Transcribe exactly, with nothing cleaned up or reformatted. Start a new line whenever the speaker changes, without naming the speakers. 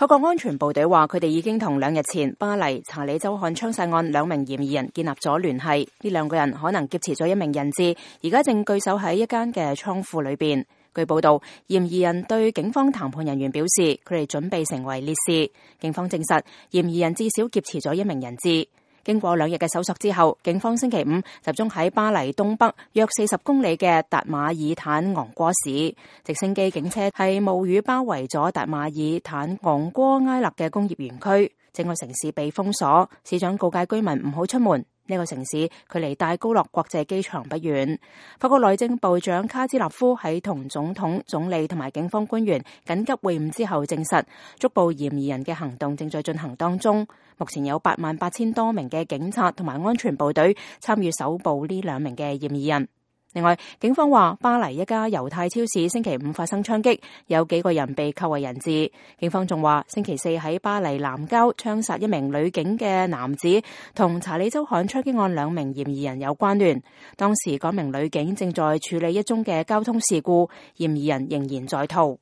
法國安全部隊話，佢哋已經同兩日前巴黎查理州漢槍殺案兩名嫌疑人建立咗聯繫。呢兩個人可能劫持咗一名人質，而家正據守喺一間嘅倉庫裏邊。據報道，嫌疑人對警方談判人員表示，佢哋準備成為烈士。警方證實，嫌疑人至少劫持咗一名人質。經過兩日嘅搜索之後，警方星期五集中喺巴黎東北約四十公里嘅達馬爾坦昂戈市，直升機警車係冒雨包圍咗達馬爾坦昂戈埃勒嘅工業園區，整個城市被封鎖。市長告誡居民唔好出門。呢個城市距離戴高樂國際機場不遠。法國內政部長卡茲納夫喺同總統、總理同埋警方官員緊急會晤之後證實，捉捕嫌疑人嘅行動正在進行當中。目前有八萬八千多名嘅警察同埋安全部隊參與搜捕呢兩名嘅嫌疑人。另外，警方話巴黎一家猶太超市星期五發生槍擊，有幾個人被扣為人質。警方仲話星期四喺巴黎南郊槍殺一名女警嘅男子，同查理州漢槍擊案兩名嫌疑人有關聯。當時嗰名女警正在處理一宗嘅交通事故，嫌疑人仍然在逃。